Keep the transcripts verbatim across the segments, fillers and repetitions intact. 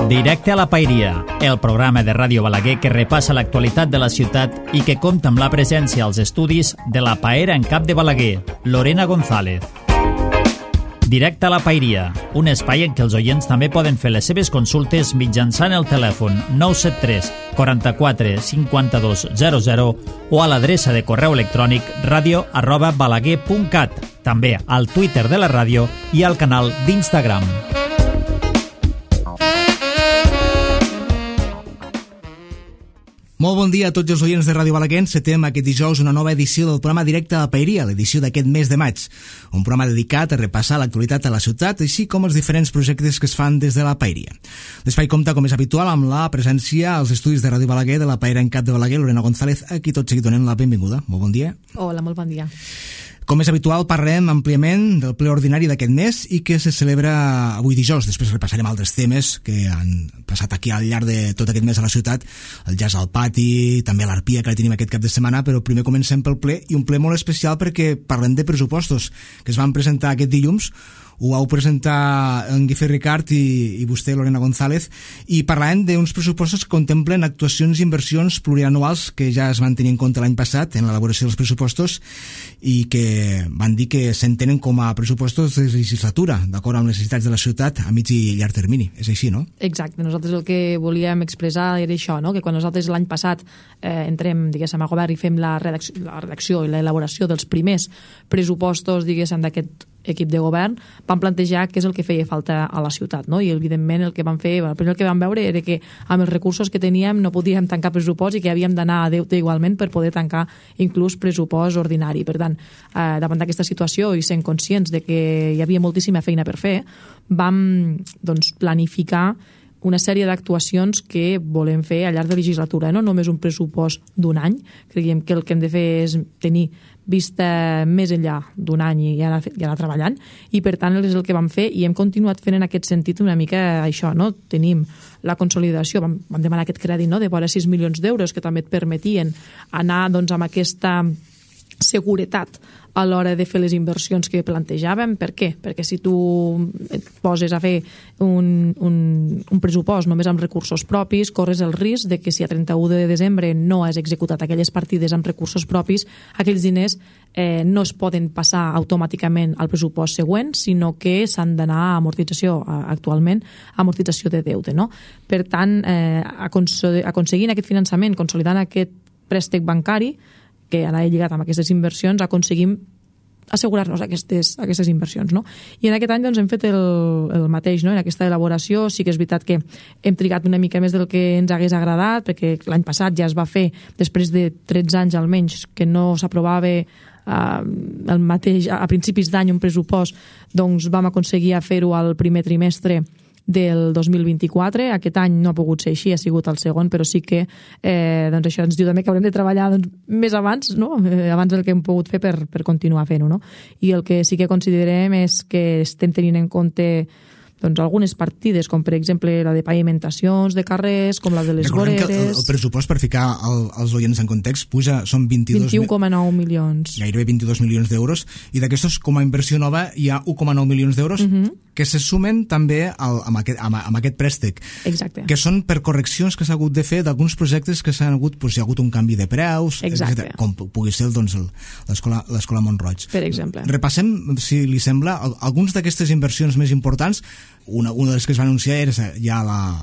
Directe a la Paeria, el programa de Ràdio Balaguer que repassa l'actualitat de la ciutat i que compta amb la presència als estudis de la paera en cap de Balaguer, Lorena González. Directe a la Paeria, un espai en què els oients també poden fer les seves consultes mitjançant el telèfon nou set tres, quaranta-quatre, cinquanta-dos, zero zero o a l'adreça de correu electrònic radio arroba balaguer punt cat, també al Twitter de la ràdio i al canal d'Instagram. Molt bon dia a tots els oients de Ràdio Balaguer. Encetem aquest dijous una nova edició del programa Directe a la Paeria, l'edició d'aquest mes de maig. Un programa dedicat a repassar l'actualitat a la ciutat, així com els diferents projectes que es fan des de la Paeria. L'espai compta, com és habitual, amb la presència als estudis de Ràdio Balaguer de la paera en cap de Balaguer, Lorena González, a qui tot seguit donem la benvinguda. Molt bon dia. Hola, molt bon dia. Com és habitual, parlarem àmpliament del ple ordinari d'aquest mes i que se celebra avui dijous. Després repassarem altres temes que han passat aquí al llarg de tot aquest mes a la ciutat, el jazz al pati, també l'Arpia, que la tenim aquest cap de setmana, però primer comencem pel ple, i un ple molt especial perquè parlem de pressupostos que es van presentar aquest dilluns. Ho vau presentar en Guifé Ricard i, i vostè, Lorena González, i parlàvem d'uns pressupostos que contemplen actuacions i inversions plurianuals que ja es van tenir en compte l'any passat en l'elaboració dels pressupostos i que van dir que s'entenen com a pressupostos de legislatura, d'acord amb les necessitats de la ciutat a mig i llarg termini. És així, no? Exacte. Nosaltres el que volíem expressar era això, no? Que quan nosaltres l'any passat eh, entrem, diguéssim, a govern i fem la redacció, la redacció i l'elaboració dels primers pressupostos, diguéssim, d'aquest equip de govern, vam plantejar què és el que feia falta a la ciutat, no? I evidentment el que vam fer, el primer que vam veure era que amb els recursos que teníem no podíem tancar pressupost i que havíem d'anar a deute igualment per poder tancar inclús pressupost ordinari. Per tant, eh, davant d'aquesta situació i sent conscients de que hi havia moltíssima feina per fer, vam doncs, planificar una sèrie d'actuacions que volem fer al llarg de legislatura, no només un pressupost d'un any. Creiem que el que hem de fer és tenir vista més enllà d'un any i anar, i anar treballant, i per tant és el que vam fer i hem continuat fent en aquest sentit una mica això, no? Tenim la consolidació, vam, vam demanar aquest crèdit, no?, de vora sis milions d'euros que també et permetien anar doncs, amb aquesta seguretat a l'hora de fer les inversions que plantejàvem. Per què? Perquè si tu et poses a fer un, un, un pressupost només amb recursos propis, corres el risc de que si a trenta-u de desembre no has executat aquelles partides amb recursos propis, aquells diners eh, no es poden passar automàticament al pressupost següent, sinó que s'han d'anar a amortització, actualment, a amortització de deute, no? Per tant, eh, aconseguint aquest finançament, consolidant aquest préstec bancari, que anava lligat amb aquestes inversions, aconseguim assegurar-nos aquestes, aquestes inversions, no? I en aquest any doncs, hem fet el, el mateix, no? En aquesta elaboració sí que és veritat que hem trigat una mica més del que ens hagués agradat, perquè l'any passat ja es va fer, després de tretze anys almenys, que no s'aprovava eh, el mateix, a principis d'any un pressupost, doncs vam aconseguir fer-ho al primer trimestre del dos mil vint-i-quatre. Aquest any no ha pogut ser així, ha sigut el segon, però sí que eh, doncs això ens diu també que haurem de treballar doncs, més abans, no? eh, abans del que hem pogut fer per, per continuar fent-ho, no? I el que sí que considerem és que estem tenint en compte doncs, algunes partides, com per exemple la de pavimentacions de carrers, com la de les Recordem voreres. Que el, el pressupost, per ficar el, els oients en context, puja, són vint-i-dos... vint-i-un coma nou milions. Gairebé vint-i-dos milions d'euros, i d'aquestos, com a inversió nova, hi ha un coma nou milions d'euros uh -huh. que se sumen també al, amb, aquest, amb, amb aquest préstec. Exacte. Que són per correccions que s'ha hagut de fer d'alguns projectes que s'han hagut, doncs, hi ha hagut un canvi de preus, etcètera, com pugui ser doncs, l'escola Montroig. Per exemple. Repassem, si li sembla, alguns d'aquestes inversions més importants. Una, una de les que es va anunciar era ja la,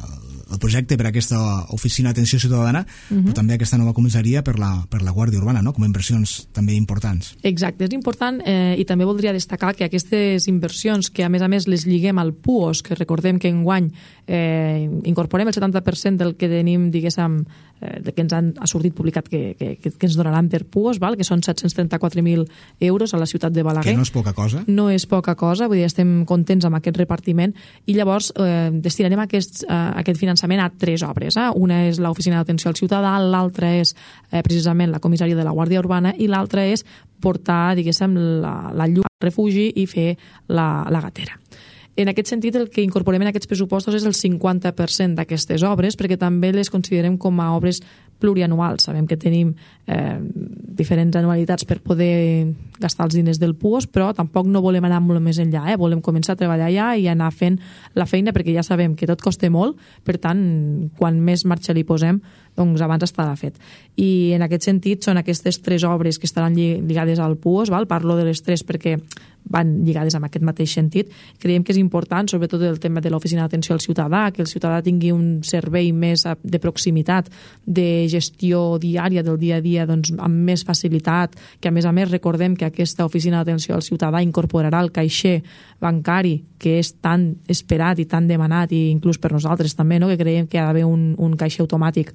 el projecte per a aquesta oficina d'atenció ciutadana, uh -huh. però també aquesta nova comissaria per la, per la Guàrdia Urbana, no? Com a inversions també importants. Exacte, és important eh, i també voldria destacar que aquestes inversions, que a més a més les lliguem al P U O S, que recordem que enguany eh, incorporem el setanta per cent del que tenim, diguéssim, eh, que ens han, ha sortit publicat que, que, que ens donaran per P U O S, val? Que són set-cents trenta-quatre mil euros a la ciutat de Balaguer. Que no és poca cosa. No és poca cosa, vull dir, estem contents amb aquest repartiment, i llavors eh, destinarem aquest, eh, aquest finançament a tres obres. Eh? Una és l'oficina d'atenció al ciutadà, l'altra és eh, precisament la comissaria de la Guàrdia Urbana, i l'altra és portar, diguéssim, la, la llum al refugi i fer la, la gatera. En aquest sentit, el que incorporem en aquests pressupostos és el cinquanta per cent d'aquestes obres, perquè també les considerem com a obres plurianuals. Sabem que tenim eh, diferents anualitats per poder gastar els diners del Puos, però tampoc no volem anar molt més enllà, eh? Volem començar a treballar allà i anar fent la feina, perquè ja sabem que tot costa molt, per tant, quan més marxa li posem, doncs abans estarà fet. I en aquest sentit són aquestes tres obres que estaran lligades al Puos, val? Parlo de les tres perquè van lligades amb aquest mateix sentit. Creiem que és important, sobretot el tema de l'oficina d'atenció al ciutadà, que el ciutadà tingui un servei més de proximitat, de gestió diària del dia a dia, doncs, amb més facilitat, que a més a més recordem que aquesta oficina d'atenció al ciutadà incorporarà el caixer bancari, que és tan esperat i tan demanat, i inclús per nosaltres també, no? Que creiem que ha d'haver un, un caixer automàtic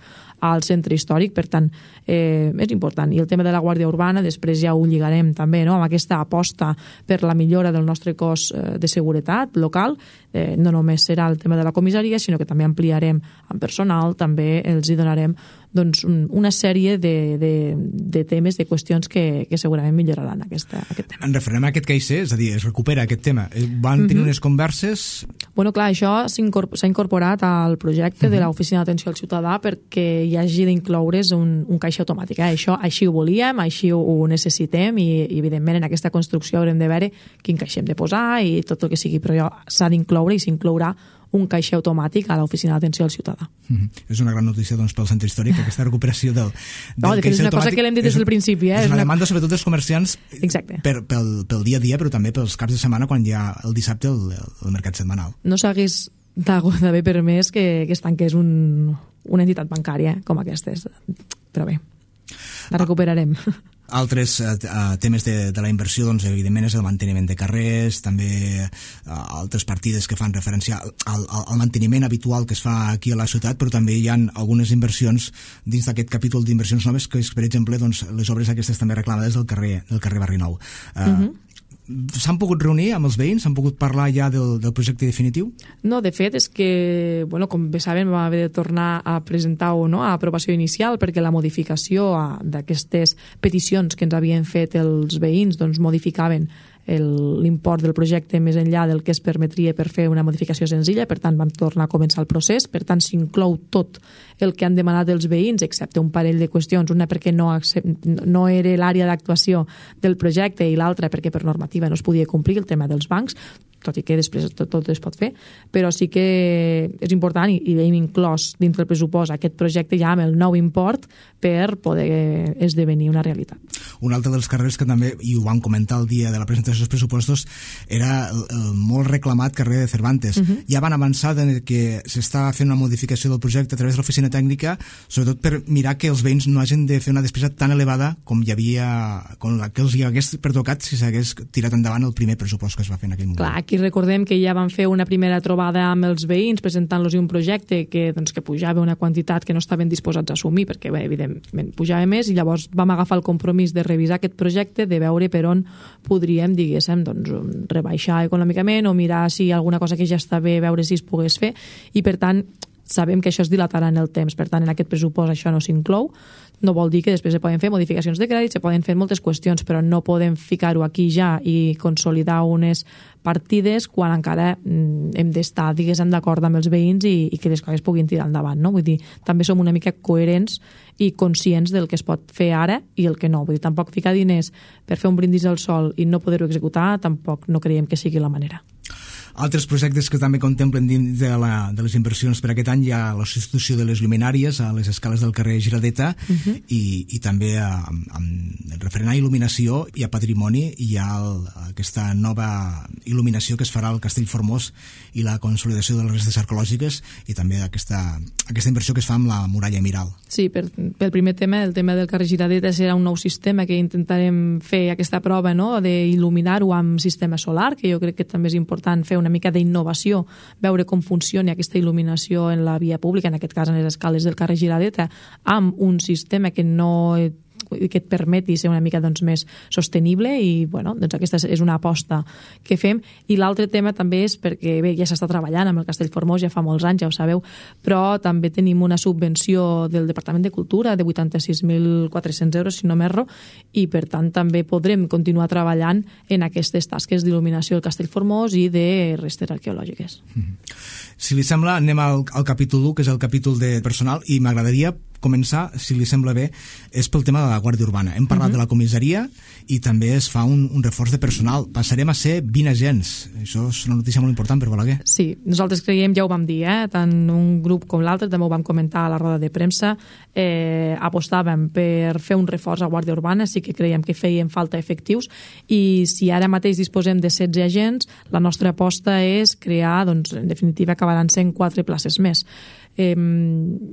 al centre històric, per tant, eh, és important. I el tema de la Guàrdia Urbana, després ja ho lligarem també, no? Amb aquesta aposta per la millora del nostre cos de seguretat local. Eh, no només serà el tema de la comissaria, sinó que també ampliarem amb personal, també els hi donarem doncs, una sèrie de, de, de temes, de qüestions que, que segurament milloraran aquesta, aquest tema. En referent a aquest caixer, és a dir, es recupera aquest tema. Van tenir mm-hmm. unes converses... Bueno, clar, això s'ha incorporat al projecte mm-hmm. de l'Oficina d'Atenció al Ciutadà perquè hi hagi d'incloure's un, un caixer automàtic. Eh? Això així ho volíem, així ho, ho necessitem i, i, evidentment, en aquesta construcció haurem de veure quin caixer hem de posar i tot el que sigui, però s'ha d'incloure i s'inclourà un caixer automàtic a l'Oficina d'Atenció al Ciutadà. Mm-hmm. És una gran notícia, doncs, pel centre històric, aquesta recuperació del, del no, de fet, és una cosa que l'hem dit des del principi. Eh? És una demanda, sobretot, dels comerciants per, pel, pel dia a dia, però també pels caps de setmana, quan hi ha el dissabte el, el mercat setmanal. No s'hagués d'haver permès que, que es tanqués un, una entitat bancària com aquestes. Però bé, la recuperarem. Altres uh, temes de, de la inversió, doncs, evidentment, és el manteniment de carrers, també uh, altres partides que fan referència al, al, al manteniment habitual que es fa aquí a la ciutat, però també hi ha algunes inversions dins d'aquest capítol d'inversions noves, que és, per exemple, doncs, les obres aquestes també reclamades del carrer, del carrer Barri Nou. Uh, uh-huh. S'han pogut reunir amb els veïns? S'han pogut parlar ja del, del projecte definitiu? No, de fet, és que, bueno, com bé saben, vam haver de tornar a presentar-ho, no?, a aprovació inicial, perquè la modificació d'aquestes peticions que ens havien fet els veïns doncs modificaven l'import del projecte més enllà del que es permetria per fer una modificació senzilla, per tant vam tornar a començar el procés, per tant s'inclou tot el que han demanat els veïns, excepte un parell de qüestions, una perquè no, no era l'àrea d'actuació del projecte i l'altra perquè per normativa no es podia complir, el tema dels bancs, tot i que després tot, tot es pot fer, però sí que és important i, i hem inclòs dins del pressupost aquest projecte ja amb el nou import per poder esdevenir una realitat. Un altre dels carrers que també, i ho vam comentar el dia de la presentació dels pressupostos, era el, el molt reclamat carrer de Cervantes. Uh-huh. Ja van avançar de que s'està fent una modificació del projecte a través de l'oficina tècnica, sobretot per mirar que els veïns no hagin de fer una despesa tan elevada com hi havia, com la que els hi hagués pertocat si s'hagués tirat endavant el primer pressupost que es va fer en aquell moment. Clar, aquí recordem que ja van fer una primera trobada amb els veïns presentant-los un projecte que, doncs, que pujava una quantitat que no estaven disposats a assumir perquè, bé, evidentment, pujava més, i llavors vam agafar el compromís de revisar aquest projecte, de veure per on podríem, diguéssim, doncs, rebaixar econòmicament o mirar si alguna cosa que ja està bé, veure si es pogués fer, i per tant sabem que això es dilatarà en el temps, per tant en aquest pressupost això no s'inclou. No vol dir que després se poden fer modificacions de crèdit, se poden fer moltes qüestions, però no podem ficar-ho aquí ja i consolidar unes partides quan encara hem d'estar, diguéssim, d'acord amb els veïns i, i que les coses puguin tirar endavant, no? Vull dir, també som una mica coherents i conscients del que es pot fer ara i el que no. Vull dir, tampoc ficar diners per fer un brindis al sol i no poder-ho executar, tampoc no creiem que sigui la manera. Altres projectes que també contemplen dins de, la, de les inversions per aquest any hi ha la substitució de les lluminàries a les escales del carrer Giradeta, uh-huh. i, i també a, a, a referent a il·luminació i a patrimoni hi ha el, aquesta nova il·luminació que es farà al Castell Formós i la consolidació de les restes arqueològiques i també aquesta, aquesta inversió que es fa amb la muralla Miral. Sí, per, pel primer tema, el tema del carrer Giradeta serà un nou sistema que intentarem fer aquesta prova, no?, d'il·luminar-ho amb sistema solar, que jo crec que també és important fer una una mica d'innovació, veure com funciona aquesta il·luminació en la via pública, en aquest cas en les escales del carrer Giradeta, amb un sistema que no que et permeti ser una mica, doncs, més sostenible, i bueno, doncs aquesta és una aposta que fem. I l'altre tema també és perquè, bé, ja s'està treballant amb el Castell Formós, ja fa molts anys, ja ho sabeu, però també tenim una subvenció del Departament de Cultura de vuitanta-sis mil quatre-cents euros, si no m'erro, i per tant també podrem continuar treballant en aquestes tasques d'il·luminació del Castell Formós i de restes arqueològiques. Si li sembla, anem al, al capítol u, que és el capítol de personal, i m'agradaria començar, si li sembla bé, és pel tema de la Guàrdia Urbana. Hem parlat uh-huh. de la comissaria i també es fa un, un reforç de personal. Passarem a ser vint agents. Això és una notícia molt important per Balaguer. Sí, nosaltres creiem, ja ho vam dir, eh? tant un grup com l'altre, també ho vam comentar a la roda de premsa, eh, apostàvem per fer un reforç a Guàrdia Urbana, sí que creiem que feien falta efectius, i si ara mateix disposem de setze agents, la nostra aposta és crear, doncs, en definitiva, acabaran sent quatre places més. Eh,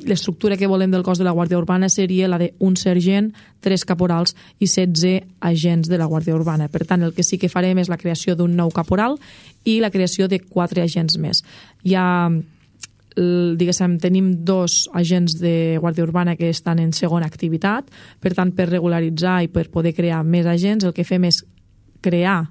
l'estructura que volem del cos de la Guàrdia Urbana seria la d'un sergent, tres caporals i setze agents de la Guàrdia Urbana. Per tant, el que sí que farem és la creació d'un nou caporal i la creació de quatre agents més. Hi ha, diguéssim, tenim dos agents de Guàrdia Urbana que estan en segona activitat, per tant, per regularitzar i per poder crear més agents, el que fem és crear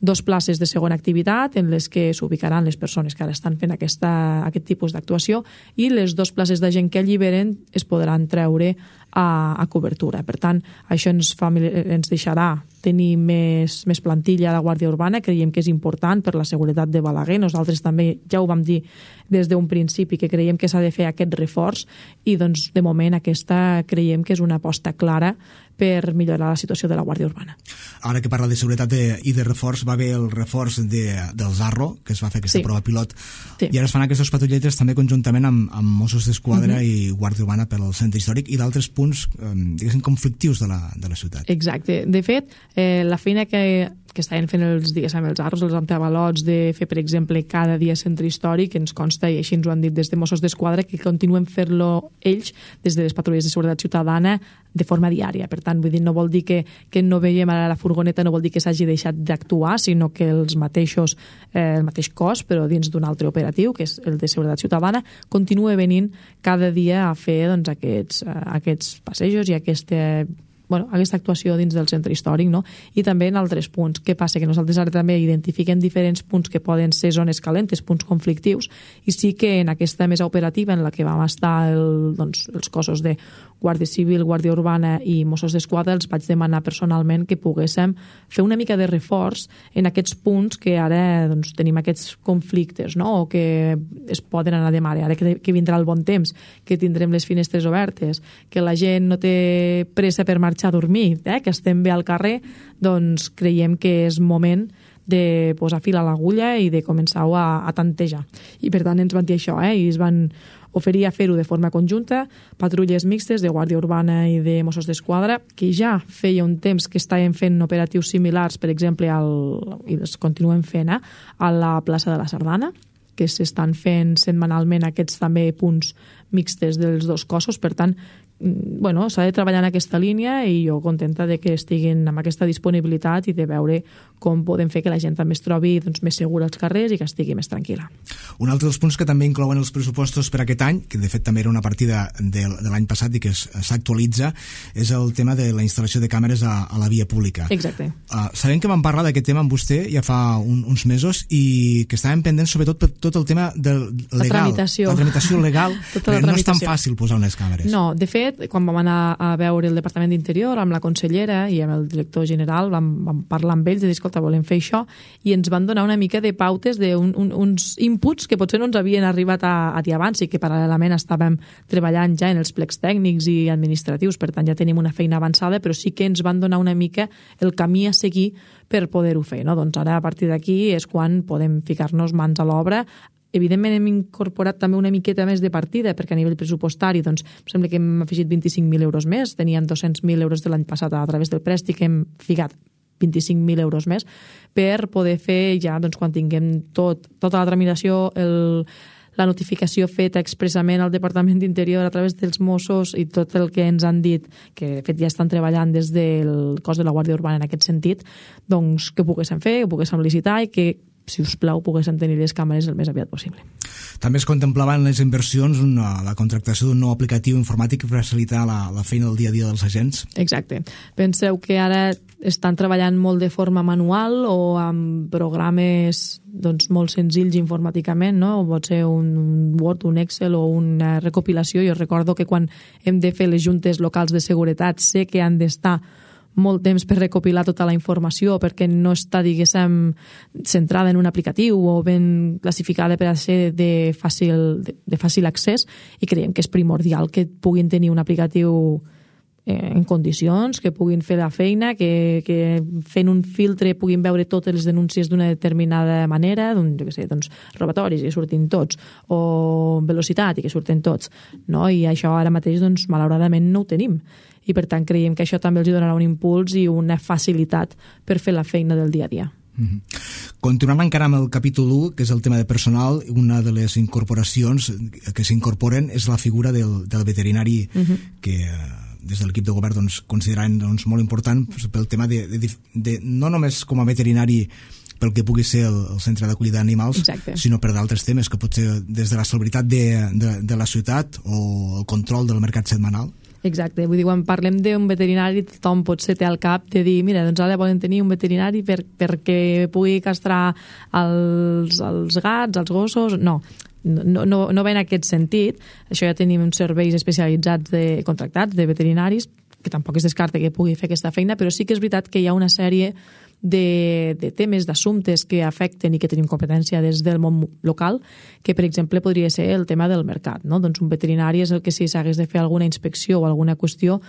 dos places de segona activitat en les que s'ubicaran les persones que ara estan fent aquesta, aquest tipus d'actuació, i les dues places de gent que alliberen es podran treure a, a cobertura. Per tant, això ens, fa, ens deixarà tenir més, més plantilla a la Guàrdia Urbana. Creiem que és important per la seguretat de Balaguer. Nosaltres també ja ho vam dir des d'un principi, que creiem que s'ha de fer aquest reforç, i doncs de moment aquesta creiem que és una aposta clara per millorar la situació de la Guàrdia Urbana. Ara que parla de seguretat de, i de reforç, va haver el reforç de, del Zarro, que es va fer aquesta sí. prova pilot, sí. i ara es fan aquestes patrulletes també conjuntament amb, amb Mossos d'Esquadra uh-huh. i Guàrdia Urbana per al centre històric i d'altres punts, eh, diguéssim, conflictius de la, de la ciutat. Exacte. De fet, eh, la feina que, que estaven fent els, diguéssim, els Zarros, els antiavalots, de fer, per exemple, cada dia centre històric, ens consta, i així ens ho han dit des de Mossos d'Esquadra, que continuen fent-lo ells des de les patrulles de seguretat ciutadana de forma diària. Per tant, vull dir, no vol dir que, que no veiem ara la furgoneta, no vol dir que s'hagi deixat d'actuar, sinó que els mateixos, eh, el mateix cos, però dins d'un altre operatiu, que és el de seguretat ciutadana, continua venint cada dia a fer doncs, aquests, eh, aquests passejos i aquesta, bueno, aquesta actuació dins del centre històric, no? I també en altres punts. Què passa? Que nosaltres ara també identifiquem diferents punts que poden ser zones calentes, punts conflictius, i sí que en aquesta mesa operativa en la que vam estar el, doncs, els cossos de Guàrdia Civil, Guàrdia Urbana i Mossos d'Esquadra, els vaig demanar personalment que poguéssim fer una mica de reforç en aquests punts que ara doncs, tenim aquests conflictes, no? O que es poden anar de mare, ara que, que vindrà el bon temps, que tindrem les finestres obertes, que la gent no té pressa per marxar a dormir, eh? Que estem bé al carrer, doncs creiem que és moment de posar fil a l'agulla i de començar-ho a, a tantejar. I per tant ens van dir això, eh? I es van oferir a fer-ho de forma conjunta, patrulles mixtes de Guàrdia Urbana i de Mossos d'Esquadra, que ja feia un temps que estaven fent operatius similars, per exemple, al, i els continuen fent, eh? A la plaça de la Sardana, que s'estan fent setmanalment aquests també punts mixtes dels dos cossos. Per tant, bueno, s'ha de treballar en aquesta línia, i jo contenta de que estiguin amb aquesta disponibilitat i de veure com podem fer que la gent també es trobi doncs, més segura als carrers i que estigui més tranquil·la. Un altre dels punts que també inclouen els pressupostos per aquest any, que de fet també era una partida de, de l'any passat i que s'actualitza, és el tema de la instal·lació de càmeres a, a la via pública. Exacte. Uh, sabem que vam parlar d'aquest tema amb vostè ja fa un, uns mesos, i que estàvem pendents sobretot per tot el tema del legal. La tramitació. La tramitació legal, tota la no és tan fàcil posar unes càmeres. No, de fet, quan vam anar a veure el Departament d'Interior amb la consellera i amb el director general, vam, vam parlar amb ells i dir, escolta, volem fer això, i ens van donar una mica de pautes d'uns un, uns inputs que potser no ens havien arribat a, a dir abans, i que paral·lelament estàvem treballant ja en els plecs tècnics i administratius, per tant ja tenim una feina avançada, però sí que ens van donar una mica el camí a seguir per poder-ho fer, no? Doncs ara a partir d'aquí és quan podem ficar-nos mans a l'obra. Evidentment hem incorporat també una miqueta més de partida, perquè a nivell pressupostari doncs, sembla que hem afegit vint-i-cinc mil euros més, teníem dos-cents mil euros de l'any passat a través del prèstic, hem ficat vint-i-cinc mil euros més per poder fer ja, doncs, quan tinguem tot, tota la tramitació, el, la notificació feta expressament al Departament d'Interior a través dels Mossos i tot el que ens han dit, que de fet ja estan treballant des del cos de la Guàrdia Urbana en aquest sentit, doncs que poguéssim fer, que poguéssim licitar i que, si us plau, poguessin tenir les càmeres el més aviat possible. També es contemplaven les inversions, una, la contractació d'un nou aplicatiu informàtic per facilitar la, la feina del dia a dia dels agents. Exacte. Penseu que ara estan treballant molt de forma manual o amb programes doncs, molt senzills informàticament, no? O pot ser un Word, un Excel o una recopilació. Jo recordo que quan hem de fer les juntes locals de seguretat sé que han d'estar molt temps per recopilar tota la informació perquè no està, diguéssim, centrada en un aplicatiu o ben classificada per a ser de fàcil, de, de fàcil accés, i creiem que és primordial que puguin tenir un aplicatiu en condicions, que puguin fer la feina, que, que fent un filtre puguin veure totes les denúncies d'una determinada manera, doncs, jo què sé, doncs, robatoris, i que surtin tots, o velocitat, i que surten tots, no? I això ara mateix, doncs, malauradament no ho tenim. I per tant creiem que això també els donarà un impuls i una facilitat per fer la feina del dia a dia. Mm-hmm. Continuant encara amb el capítol u, que és el tema de personal, una de les incorporacions que s'incorporen és la figura del, del veterinari, mm-hmm. que des de l'equip de govern doncs, considerant doncs, molt important pel tema de, de, de no només com a veterinari pel que pugui ser el, el centre d'acollida d'animals, sinó per d'altres temes, que pot ser des de la salubritat de, de, de la ciutat o el control del mercat setmanal. Exacte, vull dir, quan parlem d'un veterinari tothom potser té al cap de dir, mira, doncs ara volen tenir un veterinari per, perquè pugui castrar els, els gats, els gossos. No, no, no, no ve en aquest sentit. Això ja tenim uns serveis especialitzats de contractats de veterinaris, que tampoc es descarta que pugui fer aquesta feina, però sí que és veritat que hi ha una sèrie de, de temes, d'assumptes que afecten i que tenim competència des del món local, que per exemple podria ser el tema del mercat, no? Doncs un veterinari és el que si s'hagués de fer alguna inspecció o alguna qüestió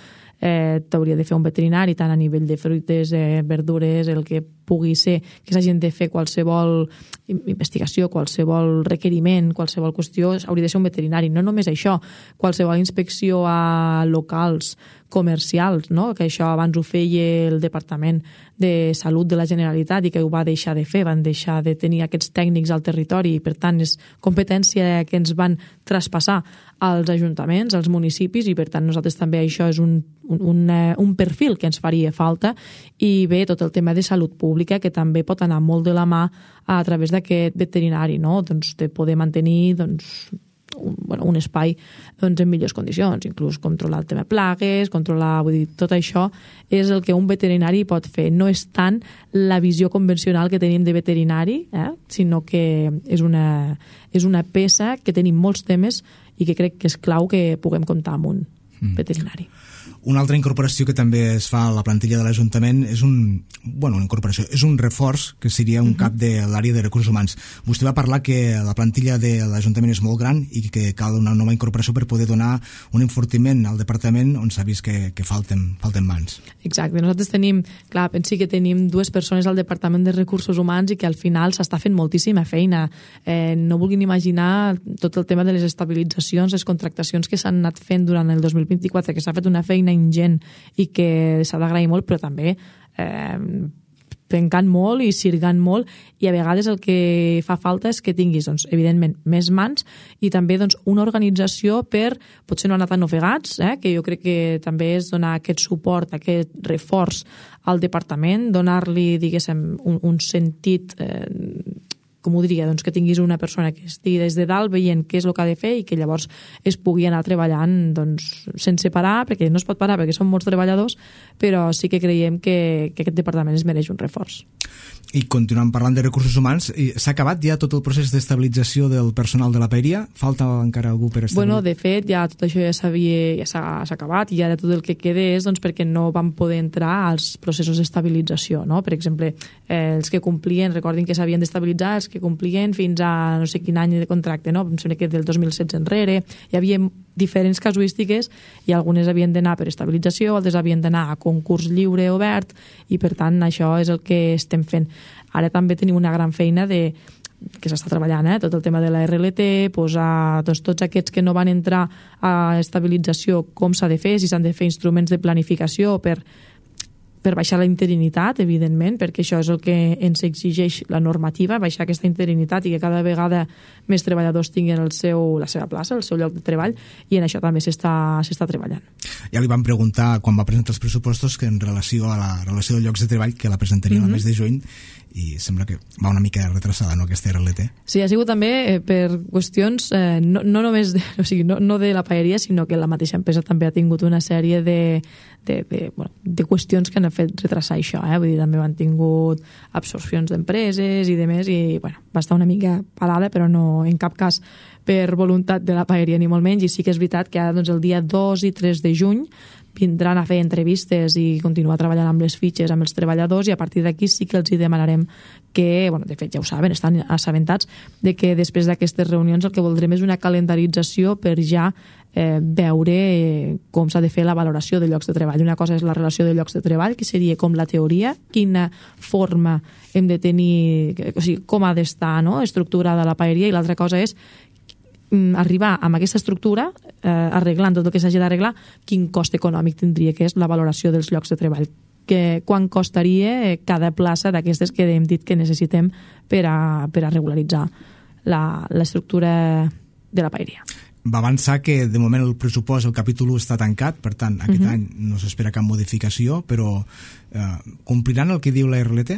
eh, t'hauria de fer un veterinari tant a nivell de fruites, eh, verdures, el que pugui ser, que s'hagin de fer qualsevol investigació, qualsevol requeriment, qualsevol qüestió, hauria de ser un veterinari. No només això, qualsevol inspecció a locals comercials, no? Que això abans ho feia el Departament de Salut de la Generalitat i que ho va deixar de fer, van deixar de tenir aquests tècnics al territori i per tant és competència que ens van traspassar als ajuntaments, als municipis, i per tant nosaltres també això és un, un, un, un perfil que ens faria falta. I bé, tot el tema de salut pública, que també pot anar molt de la mà a través d'aquest veterinari, no? Doncs de poder mantenir doncs, un, bueno, un espai doncs, en millors condicions, inclús controlar el tema plagues, controlar, vull dir, tot això és el que un veterinari pot fer. No és tant la visió convencional que tenim de veterinari, eh? Sinó que és una, és una peça que tenim molts temes i que crec que és clau que puguem comptar amb un mm. veterinari. Una altra incorporació que també es fa a la plantilla de l'Ajuntament és un, bueno, una incorporació, és un reforç que seria un uh-huh. cap de l'àrea de recursos humans. Vostè va parlar que la plantilla de l'Ajuntament és molt gran i que cal una nova incorporació per poder donar un enfortiment al departament on s'ha vist que, que falten, falten mans. Exacte, nosaltres tenim, clar, pensi que tenim dues persones al Departament de Recursos Humans i que al final s'està fent moltíssima feina. Eh, no vulguin imaginar tot el tema de les estabilitzacions, les contractacions que s'han anat fent durant el dos mil vint-i-quatre, que s'ha fet una feina ingent i que s'ha d'agrair molt, però també eh, pencant molt i sirgant molt, i a vegades el que fa falta és que tinguis, doncs, evidentment, més mans i també doncs, una organització per, potser no anar tan ofegats, eh, que jo crec que també és donar aquest suport, aquest reforç al departament, donar-li, diguéssim, un, un sentit eh, com ho diria, doncs que tinguis una persona que estigui des de dalt veient què és el que ha de fer i que llavors es pugui anar treballant doncs, sense parar, perquè no es pot parar perquè són molts treballadors, però sí que creiem que, que aquest departament es mereix un reforç. I continuant parlant de recursos humans, s'ha acabat ja tot el procés d'estabilització del personal de la paeria? Falta encara algú per establir? Bueno, de fet, ja tot això ja s'havia ja s'ha acabat i ara tot el que queda és doncs, perquè no van poder entrar als processos d'estabilització, no? Per exemple, eh, els que complien, recordin que s'havien d'estabilitzar, els que complien fins a no sé quin any de contracte, no? Em sembla que del dos mil setze enrere hi havia diferents casuístiques i algunes havien d'anar per estabilització, altres havien d'anar a concurs lliure obert i per tant això és el que estem fent. Ara també tenim una gran feina de que s'està treballant, eh? Tot el tema de la R L T, posar doncs, tots aquests que no van entrar a estabilització, com s'ha de fer, si s'han de fer instruments de planificació per per baixar la interinitat, evidentment, perquè això és el que ens exigeix la normativa, baixar aquesta interinitat i que cada vegada més treballadors tinguin el seu, la seva plaça, el seu lloc de treball, i en això també s'està s'està treballant. Ja li vam preguntar, quan va presentar els pressupostos, que en relació a la relació de llocs de treball, que la presentaria mm-hmm. el mes de juny, i sembla que va una mica retrasada, no, aquesta R L T? Sí, ha sigut també eh, per qüestions eh, no, no només de, o sigui, no, no de la paeria, sinó que la mateixa empresa també ha tingut una sèrie de, de, de, bueno, de qüestions que han fet retrasar això, eh? Vull dir, també han tingut absorcions d'empreses i de més, i bueno, va estar una mica parada, però no en cap cas per voluntat de la paeria ni molt menys, i sí que és veritat que ara doncs, el dia dos i tres de juny vindran a fer entrevistes i continuar treballant amb les fitxes amb els treballadors, i a partir d'aquí sí que els hi demanarem que, bueno, de fet ja ho saben, estan assabentats de que després d'aquestes reunions el que voldrem és una calendarització per ja eh, veure eh, com s'ha de fer la valoració de llocs de treball. Una cosa és la relació de llocs de treball, que seria com la teoria, quina forma hem de tenir, o sigui, com ha d'estar, no?, estructurada la paeria, i l'altra cosa és arribar amb aquesta estructura, eh, arreglant tot el que s'hagi d'arreglar, quin cost econòmic tindria, que és la valoració dels llocs de treball, que quan costaria cada plaça d'aquestes que hem dit que necessitem per a, per a regularitzar l'estructura de la paeria. Va avançar que de moment el pressupost, el capítol u està tancat, per tant aquest Uh-huh. any no s'espera cap modificació, però eh, compliran el que diu la R L T?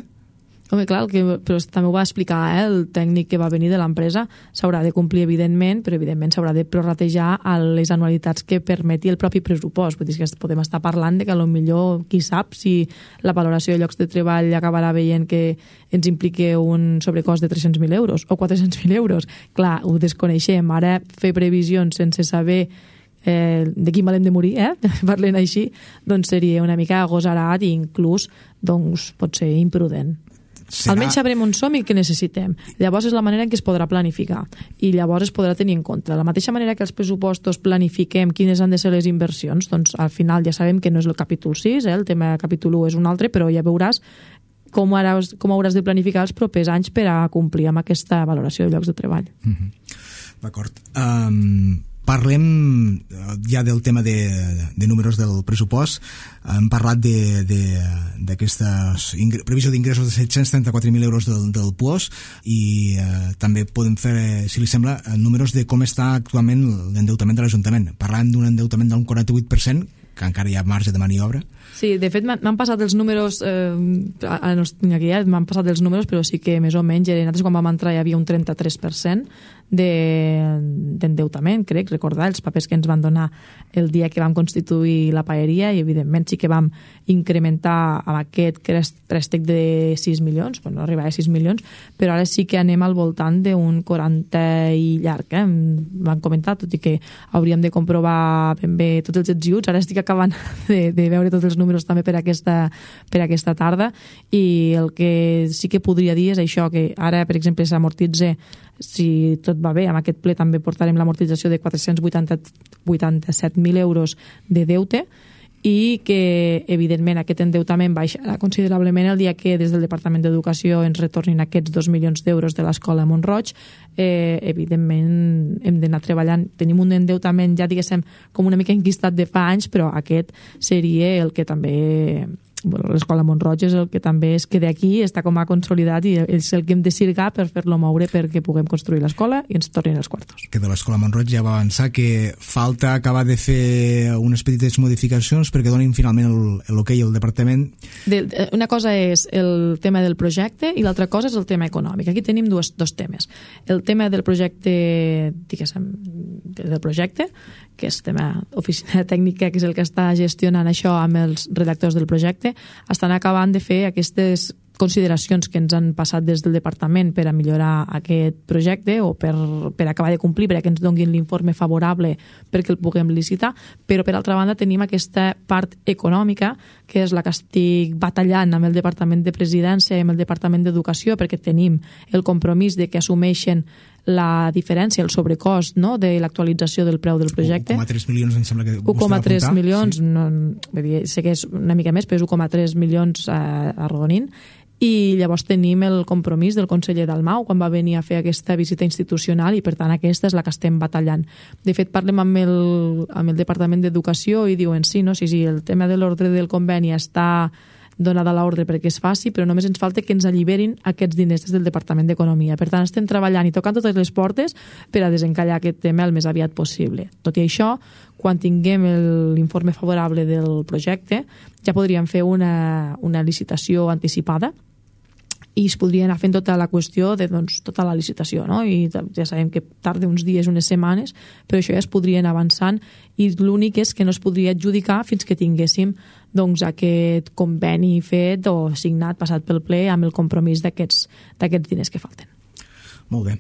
Home, clar, el que, però també ho va explicar eh, el tècnic que va venir de l'empresa. S'haurà de complir, evidentment, però evidentment s'haurà de prorratejar a les anualitats que permeti el propi pressupost. Vull dir que podem estar parlant de que potser, qui sap, si la valoració de llocs de treball acabarà veient que ens implique un sobrecost de tres-cents mil euros o quatre-cents mil euros. Clar, ho desconeixem. Ara fer previsions sense saber Eh, de quin mal hem de morir, eh? parlant així, doncs seria una mica agosarat i inclús doncs, pot ser imprudent. Serà... Almenys sabrem on som i què necessitem. Llavors és la manera en què es podrà planificar i llavors es podrà tenir en compte. De la mateixa manera que els pressupostos planifiquem quines han de ser les inversions, doncs al final ja sabem que no és el capítol sis, eh? El tema del capítol u és un altre, però ja veuràs com, hauràs, com hauràs de planificar els propers anys per a complir amb aquesta valoració de llocs de treball. Mm-hmm. D'acord. Um... Parlem ja del tema de, de números del pressupost. Hem parlat d'aquesta previsió d'ingressos de set-cents trenta-quatre mil euros del, del P U O S, i eh, també podem fer, si li sembla, números de com està actualment l'endeutament de l'Ajuntament. Parlem d'un endeutament d'un quaranta-vuit per cent, que encara hi ha marge de maniobra. Sí, de fet m'han passat els números, eh, no els tinc aquí, m'han passat els números, però sí que més o menys, nosaltres quan vam entrar hi havia un trenta-tres per cent d'endeutament, crec, recordar els papers que ens van donar el dia que vam constituir la paeria, i evidentment sí que vam incrementar amb aquest préstec de sis milions, bueno, no arribava a sis milions, però ara sí que anem al voltant d'un quaranta i llarg, eh? Van comentar, tot i que hauríem de comprovar ben bé tots els ets i uts, ara estic acabant de, de veure tots els números també per aquesta, per aquesta tarda, i el que sí que podria dir és això, que ara, per exemple, s'amortitza, si tot va bé, amb aquest ple també portarem l'amortització de quatre-cents vuitanta-set mil euros de deute, i que, evidentment, aquest endeutament baixarà considerablement el dia que des del Departament d'Educació ens retornin aquests dos milions d'euros de l'escola Mont-roig. Eh, evidentment, hem d'anar treballant. Tenim un endeutament, ja diguéssim, com una mica enquistat de fa anys, però aquest seria el que també... Bueno, l'escola Mont-roig és el que també es queda aquí, està com a consolidat, i és el que hem de sirgar per fer-lo moure perquè puguem construir l'escola i ens tornin els quartos. Que de l'escola Mont-roig ja va avançar que falta acabar de fer unes petites modificacions perquè donin finalment l'hoquei al departament. De, una cosa és el tema del projecte i l'altra cosa és el tema econòmic. Aquí tenim dos, dos temes. El tema del projecte, diguéssim, del projecte, que és tema oficina tècnica, que és el que està gestionant això amb els redactors del projecte, estan acabant de fer aquestes consideracions que ens han passat des del departament per a millorar aquest projecte o per, per acabar de complir, perquè ens donguin l'informe favorable perquè el puguem licitar, però per altra banda tenim aquesta part econòmica, que és la que estic batallant amb el Departament de Presidència i amb el Departament d'Educació, perquè tenim el compromís de que assumeixen la diferència, el sobrecost, no?, de l'actualització del preu del projecte. un coma tres milions, em sembla que un coma tres milions, sí. No, sé que és una mica més, però és un coma tres milions a, a Rodonint. I llavors tenim el compromís del conseller Dalmau quan va venir a fer aquesta visita institucional, i per tant aquesta és la que estem batallant. De fet, parlem amb el, amb el Departament d'Educació i diuen sí, no, sí, sí, el tema de l'ordre del conveni està donada l'ordre perquè es faci, però només ens falta que ens alliberin aquests diners des del Departament d'Economia. Per tant, estem treballant i tocant totes les portes per a desencallar aquest tema el més aviat possible. Tot i això, quan tinguem l'informe favorable del projecte, ja podríem fer una, una licitació anticipada i es podria anar fent tota la qüestió de doncs, tota la licitació, no? I ja sabem que tarda uns dies, unes setmanes, però això ja es podria anar avançant, i l'únic és que no es podria adjudicar fins que tinguéssim doncs, aquest conveni fet o signat, passat pel ple, amb el compromís d'aquests d'aquests diners que falten. Molt bé.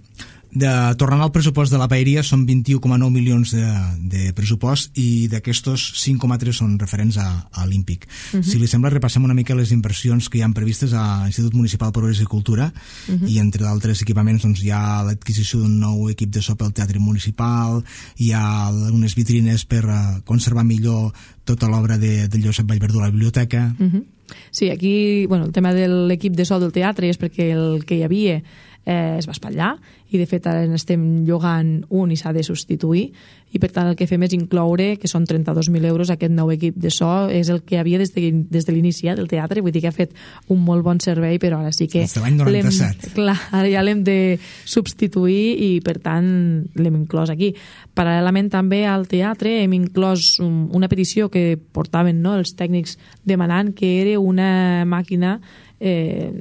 De, tornant al pressupost de la paeria, són vint-i-u coma nou milions de, de pressupost i d'aquestos cinc coma tres són referents a, a Olímpic. Uh-huh. Si li sembla, repassem una mica les inversions que hi ha previstes a l'Institut Municipal de Progrés i Cultura, uh-huh. i entre d'altres equipaments doncs, hi ha l'adquisició d'un nou equip de so pel Teatre Municipal, hi ha unes vitrines per uh, conservar millor tota l'obra de, de Josep Vallverdú a la biblioteca. Uh-huh. Sí, aquí bueno, el tema de l'equip de so del teatre és perquè el que hi havia eh, es va espatllar i de fet ara n'estem llogant un i s'ha de substituir i per tant el que fem és incloure que són trenta-dos mil euros aquest nou equip de so, és el que havia des de, des de l'inici del teatre, vull dir que ha fet un molt bon servei, però ara sí que des de l'any noranta-set. Clar, ara ja l'hem de substituir i per tant l'hem inclòs aquí. Paral·lelament també al teatre hem inclòs un, una petició que portaven, no, els tècnics demanant, que era una màquina eh,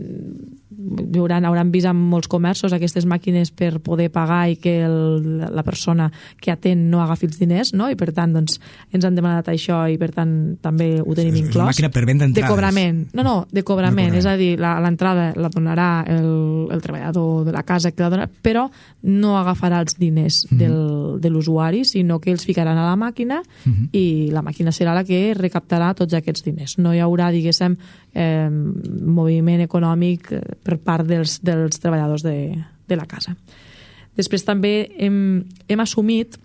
hauran, hauran vist en molts comerços aquestes màquines per poder pagar i que el, la persona que atén no agafi els diners, no? I per tant doncs, ens han demanat això i per tant també ho tenim és inclòs. una màquina per venda entrades. De cobrament. No, no, de cobrament. De cobrament. És a dir, l'entrada la donarà el, el treballador de la casa que la donarà, però no agafarà els diners mm-hmm. del, de l'usuari, sinó que els ficaran a la màquina mm-hmm. i la màquina serà la que recaptarà tots aquests diners. No hi haurà, diguéssim, eh, moviment econòmic per part dels, dels treballadors de, de la casa. Després també hem, hem assumit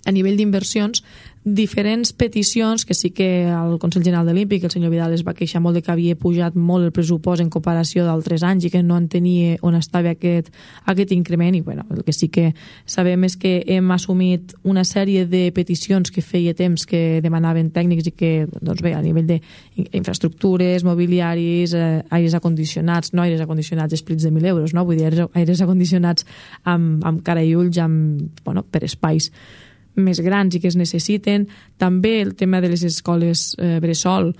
a nivell d'inversions diferents peticions que sí que el Consell General de l'Olímpic, el senyor Vidal, es va queixar molt de que havia pujat molt el pressupost en comparació d'altres anys i que no entenia on estava aquest, aquest increment i bueno, el que sí que sabem és que hem assumit una sèrie de peticions que feia temps que demanaven tècnics i que doncs bé, a nivell d'infraestructures, mobiliaris, eh, aires acondicionats, no aires acondicionats esplits de mil euros, no? Vull dir, aires, aires acondicionats amb, amb cara i ulls, amb, bueno, per espais més grans i que es necessiten. També el tema de les escoles eh, bressol.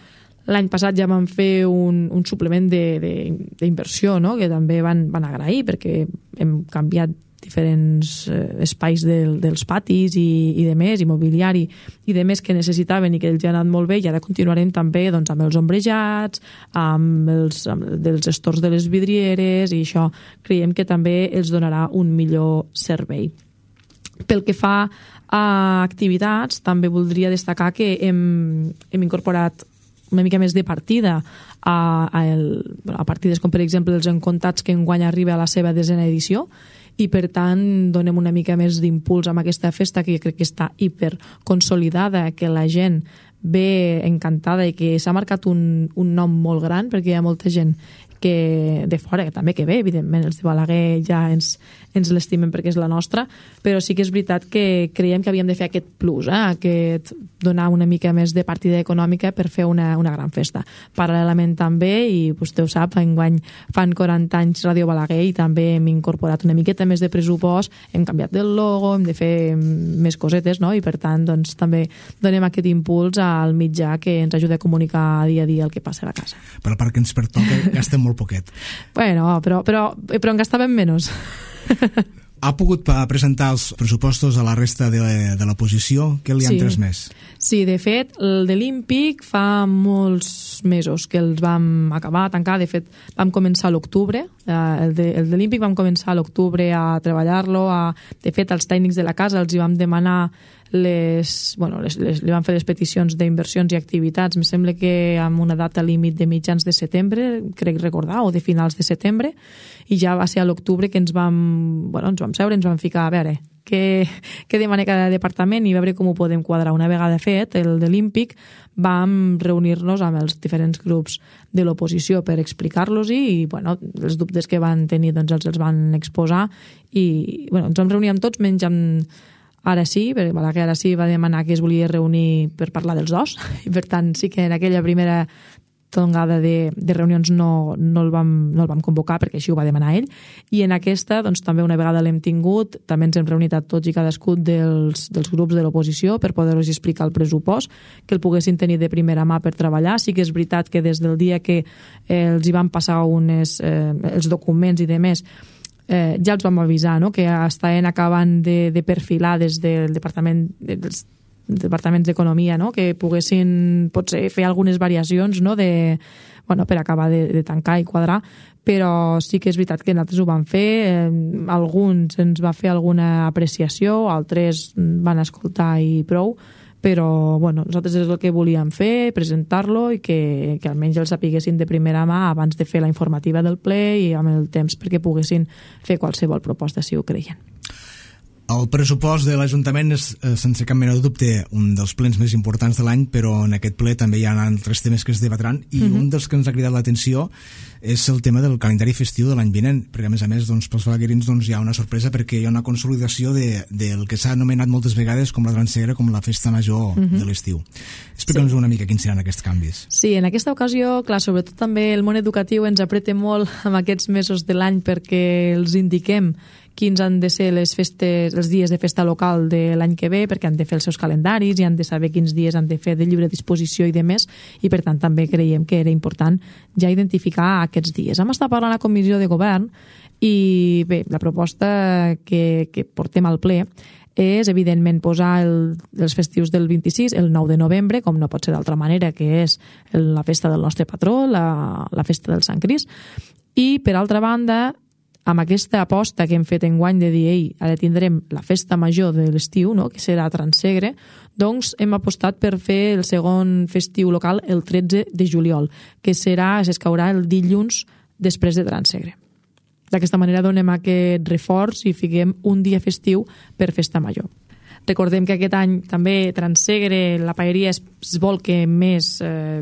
L'any passat ja van fer un, un suplement d'inversió, no? Que també van, van agrair perquè hem canviat diferents eh, espais del, dels patis i, i de més, i mobiliari i de més que necessitaven i que els ha anat molt bé i ara continuarem també doncs, amb els ombrejats, amb els, amb dels estors de les vidrieres i això creiem que també els donarà un millor servei. Pel que fa a activitats, també voldria destacar que hem, hem incorporat una mica més de partida a, a, el, a partides com per exemple els encontats que enguany arriba a la seva desena edició i per tant donem una mica més d'impuls amb aquesta festa que crec que està hiper consolidada, que la gent ve encantada i que s'ha marcat un, un nom molt gran perquè hi ha molta gent que de fora, que també que ve, evidentment els de Balaguer ja ens, ens l'estimen perquè és la nostra, però sí que és veritat que creiem que havíem de fer aquest plus, eh? Aquest donar una mica més de partida econòmica per fer una, una gran festa. Paral·lelament també, i vostè ho sap, enguany fan quaranta anys Ràdio Balaguer i també hem incorporat una miqueta més de pressupost, hem canviat el logo, hem de fer més cosetes, no? I per tant doncs, també donem aquest impuls al mitjà que ens ajuda a comunicar dia a dia el que passa a la casa. Per la part que ens pertoca gastem molt poquet. Bueno, però, però, però en gastàvem menys. Ha pogut presentar els pressupostos a la resta de, de l'oposició? Què li han sí. transmès? Sí, de fet, el de l'Olímpic fa molts mesos que els vam acabar, tancar. De fet, vam començar a l'octubre. El de, el de l'Olímpic vam començar a l'octubre a treballar-lo. A... De fet, els tècnics de la casa els hi vam demanar les, bueno, les, les, li van fer les peticions d'inversions i activitats. Em sembla que amb una data límit de mitjans de setembre, crec recordar, o de finals de setembre, i ja va ser a l'octubre que ens vam, bueno, ens vam seure, ens vam ficar a veure què, què demana cada departament i veure com ho podem quadrar. Una vegada fet el de l'Olímpic vam reunir-nos amb els diferents grups de l'oposició per explicar-los i bueno, els dubtes que van tenir doncs, els, els van exposar i bueno, ens vam reunir amb tots menys amb Ara sí, perquè Balaguer ara sí va demanar que es volia reunir per parlar dels dos i per tant sí que en aquella primera tongada de, de reunions no, no, el vam, no el vam convocar perquè així ho va demanar ell i en aquesta doncs, també una vegada l'hem tingut també ens hem reunit a tots i cadascun dels, dels grups de l'oposició per poder-los explicar el pressupost, que el poguessin tenir de primera mà per treballar. Sí que és veritat que des del dia que eh, els hi van passar unes, eh, els documents i demés Eh, ja els vam avisar, no? Que estaven acabant de, de perfilar des del departament dels departaments d'economia, no? Que poguessin potser fer algunes variacions, no? de, bueno, per acabar de, de tancar i quadrar, però sí que és veritat que nosaltres ho vam fer, eh, alguns ens va fer alguna apreciació, altres van escoltar i prou, però bueno, nosaltres és el que volíem fer, presentar-lo i que, que almenys el sapiguessin de primera mà abans de fer la informativa del ple i amb el temps perquè poguessin fer qualsevol proposta si ho creien. El pressupost de l'Ajuntament és, sense cap mena de dubte, un dels plens més importants de l'any, però en aquest ple també hi ha altres temes que es debatran, i mm-hmm. un dels que ens ha cridat l'atenció és el tema del calendari festiu de l'any vinent, perquè a més a més doncs, pels balaguerins doncs, hi ha una sorpresa perquè hi ha una consolidació de, del que s'ha anomenat moltes vegades com la Transegre, com la festa major mm-hmm. de l'estiu. Explica'ns sí. una mica quins seran aquests canvis. Sí, en aquesta ocasió, clar, sobretot també el món educatiu ens apreta molt amb aquests mesos de l'any perquè els indiquem quins han de ser les festes, els dies de festa local de l'any que ve, perquè han de fer els seus calendaris i han de saber quins dies han de fer de lliure disposició i de més, i per tant també creiem que era important ja identificar aquests dies. Hem estat parlant a la comissió de govern i bé, la proposta que, que portem al ple és, evidentment, posar el, els festius del vint-i-sis, el nou de novembre, com no pot ser d'altra manera, que és el, la festa del nostre patró, la, la festa del Sant Crist, i, per altra banda, amb aquesta aposta que hem fet enguany de dir, ei, ara tindrem la festa major de l'estiu, no?, que serà a Transegre, doncs hem apostat per fer el segon festiu local el tretze de juliol, que serà, s'escaurà el dilluns després de Transegre. D'aquesta manera donem aquest reforç i fiquem un dia festiu per festa major. Recordem que aquest any també Transegre, la paeria es, es vol que més eh,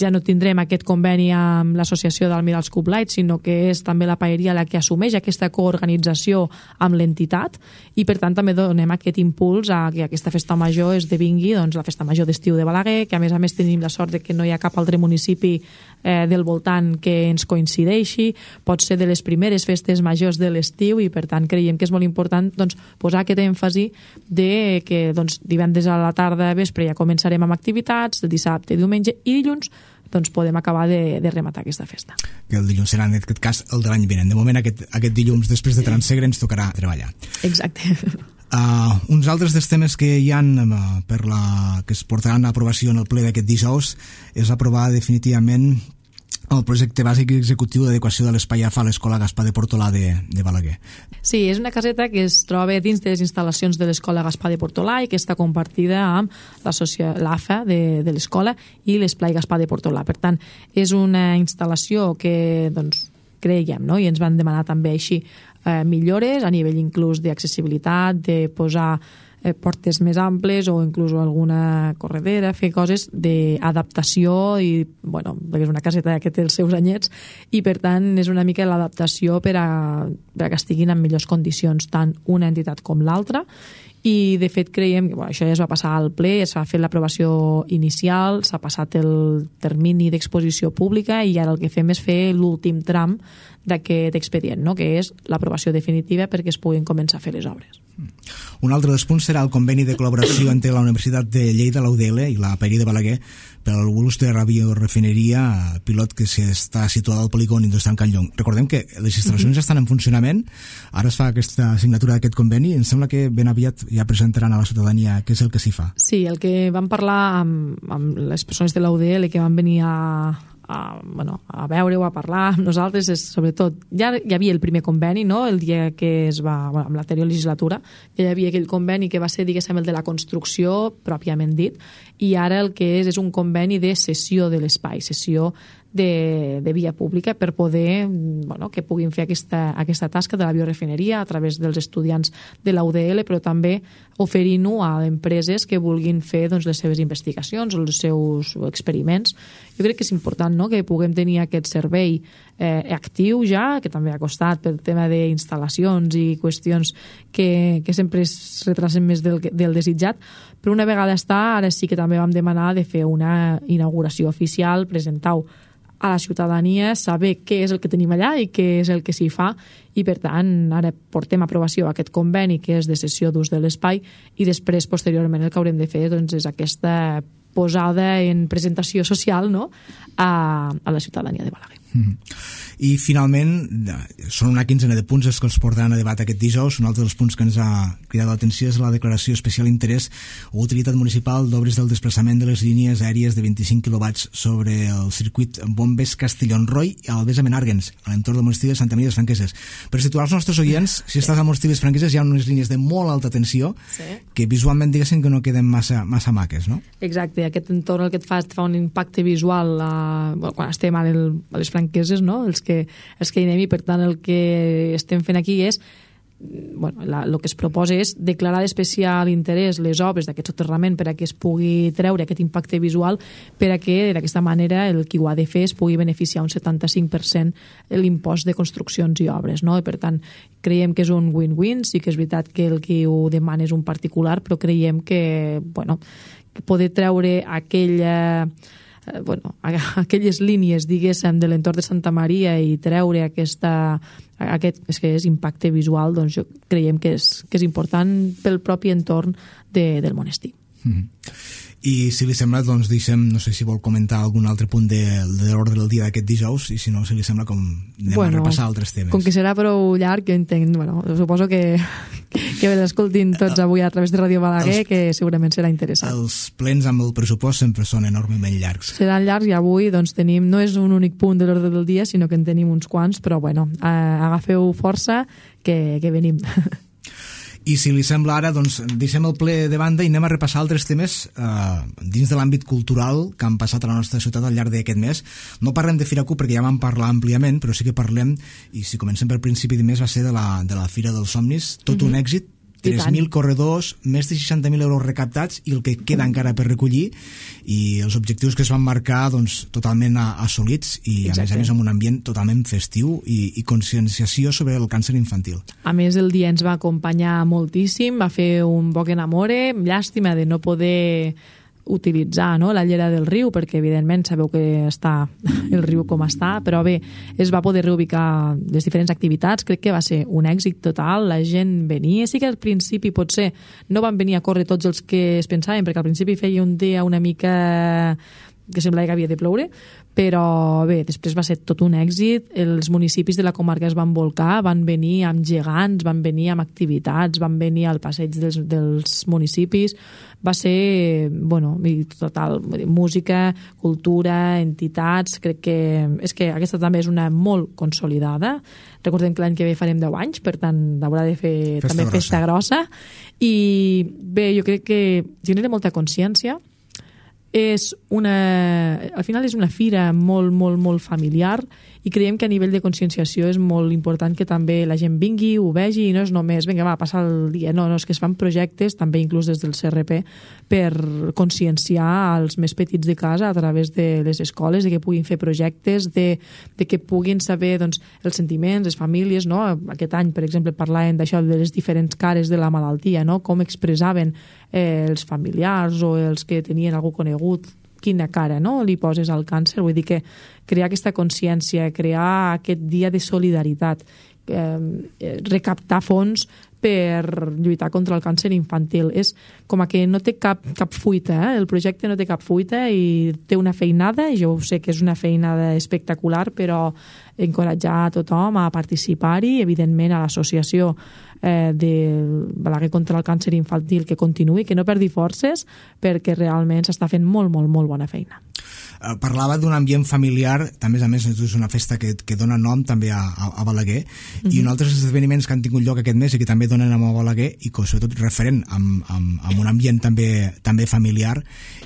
ja no tindrem aquest conveni amb l'associació d'Almirals Cup Light, sinó que és també la paeria la que assumeix aquesta coorganització amb l'entitat i per tant també donem aquest impuls a que aquesta festa major esdevingui doncs, la festa major d'estiu de Balaguer, que a més a més tenim la sort de que no hi ha cap altre municipi eh, del voltant que ens coincideixi, pot ser de les primeres festes majors de l'estiu i per tant creiem que és molt important doncs, posar aquest èmfasi de que doncs, divendres a la tarda, vespre, ja començarem amb activitats, el dissabte, diumenge i dilluns doncs podem acabar de, de rematar aquesta festa. Que el dilluns serà, en aquest cas, el de l'any vinent. De moment, aquest, aquest dilluns, després de Transegre, ens tocarà treballar. Exacte. Uh, uns altres dels temes que hi ha uh, per la, que es portaran a aprovació en el ple d'aquest dijous és aprovar definitivament el projecte bàsic i executiu d'adequació de l'espai A F A a l'Escola Gaspar de Portolà de, de Balaguer. Sí, és una caseta que es troba dins de les instal·lacions de l'Escola Gaspar de Portolà i que està compartida amb l'A F A de, de l'escola i l'Esplai Gaspar de Portolà. Per tant, és una instal·lació que doncs, creiem, no? I ens van demanar també així eh, millores a nivell inclús d'accessibilitat, de posar eh, portes més amples o inclús alguna corredera, fer coses d'adaptació i, bueno, perquè és una caseta que té els seus anyets i per tant és una mica l'adaptació per a, per a que estiguin en millors condicions tant una entitat com l'altra i de fet creiem que bueno, això ja es va passar al ple, es va fer l'aprovació inicial, s'ha passat el termini d'exposició pública i ara el que fem és fer l'últim tram d'aquest expedient, no? Que és l'aprovació definitiva perquè es puguin començar a fer les obres. Un altre dels punts serà el conveni de col·laboració entre la Universitat de Lleida, la U D L i la paeria de Balaguer per al l'ús de la biorefineria pilot que està situada al polígon industrial Can Llong. Recordem que les instal·lacions ja estan en funcionament, ara es fa aquesta signatura d'aquest conveni i em sembla que ben aviat ja presentaran a la ciutadania què és el que s'hi fa. Sí, el que vam parlar amb, amb les persones de la U D L que van venir a a, bueno, a veure-ho, a parlar amb nosaltres, és sobretot, ja hi havia el primer conveni, no?, el dia que es va, bueno, amb l'anterior legislatura, ja hi havia aquell conveni que va ser, diguéssim, el de la construcció, pròpiament dit, i ara el que és és un conveni de cessió de l'espai, cessió de, de via pública per poder, bueno, que puguin fer aquesta, aquesta tasca de la biorefineria a través dels estudiants de la U D L, però també oferint-ho a empreses que vulguin fer doncs, les seves investigacions o els seus experiments. Jo crec que és important, no?, que puguem tenir aquest servei eh, actiu ja, que també ha costat pel tema d'instal·lacions i qüestions que, que sempre es retrasen més del, del desitjat, però una vegada està, ara sí que també vam demanar de fer una inauguració oficial, presentar-ho a la ciutadania, saber què és el que tenim allà i què és el que s'hi fa, i per tant ara portem a aprovació aquest conveni que és de cessió d'ús de l'espai i després posteriorment el que haurem de fer doncs, és aquesta posada en presentació social, no?, a, a la ciutadania de Balaguer. Mm. I finalment són una quinzena de punts els que els portaran a debat aquest dijous. Un altre dels punts que ens ha cridat l'atenció és la declaració especial interès o utilitat municipal d'obres del desplaçament de les línies aèries de vint-i-cinc quilowatts sobre el circuit Bombes Castellón-Roy i Albesa-Menàrguens, a l'entorn del monestir de Santa Maria de les Franqueses. Per situar els nostres oients, si estàs al monestir de les Franqueses hi ha unes línies de molt alta tensió, sí, que visualment diguéssim que no queden massa, massa maques, no? Exacte, aquest entorn el que et fa, et fa un impacte visual a, bueno, quan estem a, el, a les Franqueses, no? els, que, els que hi anem, i per tant el que estem fent aquí és, bueno, la, el que es proposa és declarar d'especial interès les obres d'aquest soterrament per a que es pugui treure aquest impacte visual, per a que d'aquesta manera el qui ho ha de fer es pugui beneficiar un setanta-cinc per cent l'impost de construccions i obres, no? I per tant creiem que és un win-win. Sí que és veritat que el qui ho demana és un particular, però creiem que, bueno, que poder treure aquella Eh, bueno, aquelles línies, diguéssim, de l'entorn de Santa Maria i treure aquesta, aquest, és que és impacte visual, doncs jo creiem que és, que és important pel propi entorn de, del monestir. Mm-hmm. I si li sembla, doncs deixem, no sé si vol comentar algun altre punt de, de l'ordre del dia d'aquest dijous, i si no, si li sembla, com anem bueno, a repassar altres temes. Com que serà prou llarg, jo entenc, bueno, suposo que, que l'escoltin tots avui a través de Ràdio Balaguer, els, que segurament serà interessant. Els plens amb el pressupost sempre són enormement llargs. Seran llargs, i avui doncs tenim, no és un únic punt de l'ordre del dia, sinó que en tenim uns quants, però bueno, eh, agafeu força que, que venim. I si li sembla ara, doncs deixem el ple de banda i anem a repassar altres temes eh, dins de l'àmbit cultural que han passat a la nostra ciutat al llarg d'aquest mes. No parlem de Fira Q perquè ja vam parlar àmpliament, però sí que parlem, i si comencem per principi de mes, va ser de la, de la Fira dels Somnis, tot mm-hmm. un èxit, tres mil corredors, més de seixanta mil euros recaptats i el que queda encara per recollir, i els objectius que es van marcar doncs, totalment assolits, i a Exacte. més a més amb un ambient totalment festiu i, i conscienciació sobre el càncer infantil. A més, el dia ens va acompanyar moltíssim, va fer un boc enamore, llàstima de no poder utilitzar, no?, la llera del riu, perquè evidentment sabeu que està el riu com està, però bé, es va poder reubicar les diferents activitats. Crec que va ser un èxit total, la gent venia. Sí que al principi potser no van venir a córrer tots els que es pensaven, perquè al principi feia un dia una mica que semblava que havia de ploure, però bé, després va ser tot un èxit. Els municipis de la comarca es van volcar, van venir amb gegants, van venir amb activitats, van venir al passeig dels, dels municipis. Va ser, bueno, total, música, cultura, entitats. Crec que és que aquesta també és una molt consolidada. Recordem que l'any que ve farem deu anys, per tant haurà de fer festa també grossa. Festa grossa. I bé, jo crec que genera molta consciència. És una, al final és una fira molt, molt, molt familiar, i creiem que a nivell de conscienciació és molt important que també la gent vingui, ho vegi, i no és només, vinga, va, passar el dia. No, no, és que es fan projectes, també inclús des del C R P, per conscienciar als més petits de casa a través de les escoles, de que puguin fer projectes, de, de que puguin saber doncs, els sentiments, les famílies, no? Aquest any, per exemple, parlàvem d'això, de les diferents cares de la malaltia, no? Com expressaven eh, els familiars o els que tenien algú conegut, quina cara, no?, li poses al càncer. Vull dir que crear aquesta consciència, crear aquest dia de solidaritat, eh, recaptar fons per lluitar contra el càncer infantil. És com que no té cap, cap fuita, eh? El projecte no té cap fuita i té una feinada, i jo sé que és una feinada espectacular, però encoratjar a tothom a participar-hi, evidentment a l'associació eh, de Balaguer contra el càncer infantil, que continuï, que no perdi forces, perquè realment s'està fent molt, molt, molt bona feina. Parlava d'un ambient familiar, també a més és una festa que, que dona nom també a, a, a Balaguer, mm-hmm. i un altres esdeveniments que han tingut lloc aquest mes i que també donen nom a Balaguer, i que sobretot referent amb, amb, amb un ambient també, també familiar,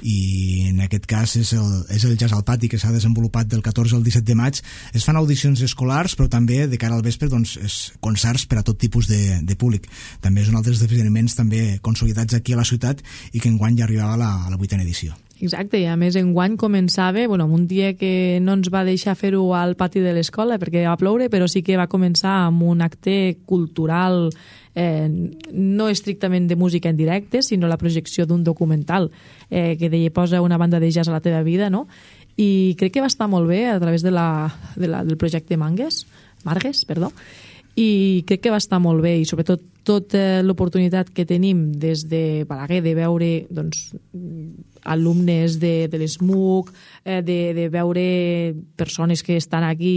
i en aquest cas és el, és el Jazz al Pati, que s'ha desenvolupat del catorze al disset de maig. Es fan audicions escolars, però també de cara al vespre doncs, és concerts per a tot tipus de, de públic. També és un altre esdeveniments també consolidats aquí a la ciutat, i que enguany ja arribava a la, a la vuitena edició. Exacte, i a més enguany començava, bueno, un dia que no ens va deixar fer-ho al pati de l'escola perquè va ploure, però sí que va començar amb un acte cultural, eh, no estrictament de música en directe, sinó la projecció d'un documental eh, que deia posa una banda de jazz a la teva vida, no? I crec que va estar molt bé a través de la, de la, del projecte Mangues, Margues, perdó, i crec que va estar molt bé, i sobretot tota l'oportunitat que tenim des de Balaguer de veure doncs, alumnes de, de l'E S M U C, eh, de, de veure persones que estan aquí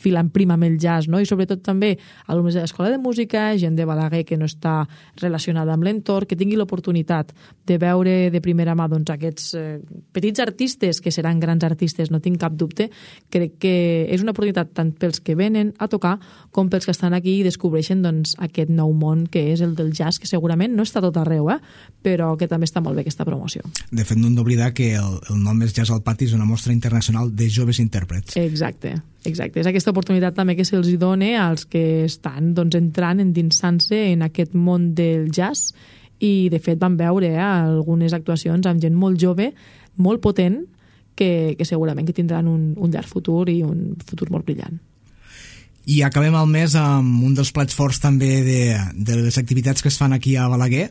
filant prima amb el jazz, no? I sobretot també alumnes de l'Escola de Música, gent de Balaguer que no està relacionada amb l'entorn, que tingui l'oportunitat de veure de primera mà doncs, aquests eh, petits artistes, que seran grans artistes, no tinc cap dubte. Crec que és una oportunitat tant pels que venen a tocar com pels que estan aquí i descobreixen doncs, aquest nou món que és el del jazz, que segurament no està tot arreu, eh? Però que també està molt bé aquesta promoció. De fet, no hem d'oblidar que el, el nom és Jazz al Pati, és una mostra internacional de joves intèrprets. Exacte. Exacte, és aquesta oportunitat també que se'ls dona als que estan doncs, entrant, endinsant-se en aquest món del jazz i de fet vam veure eh, algunes actuacions amb gent molt jove, molt potent, que, que segurament que tindran un, un llarg futur i un futur molt brillant. I acabem el mes amb un dels plats forts també de, de les activitats que es fan aquí a Balaguer.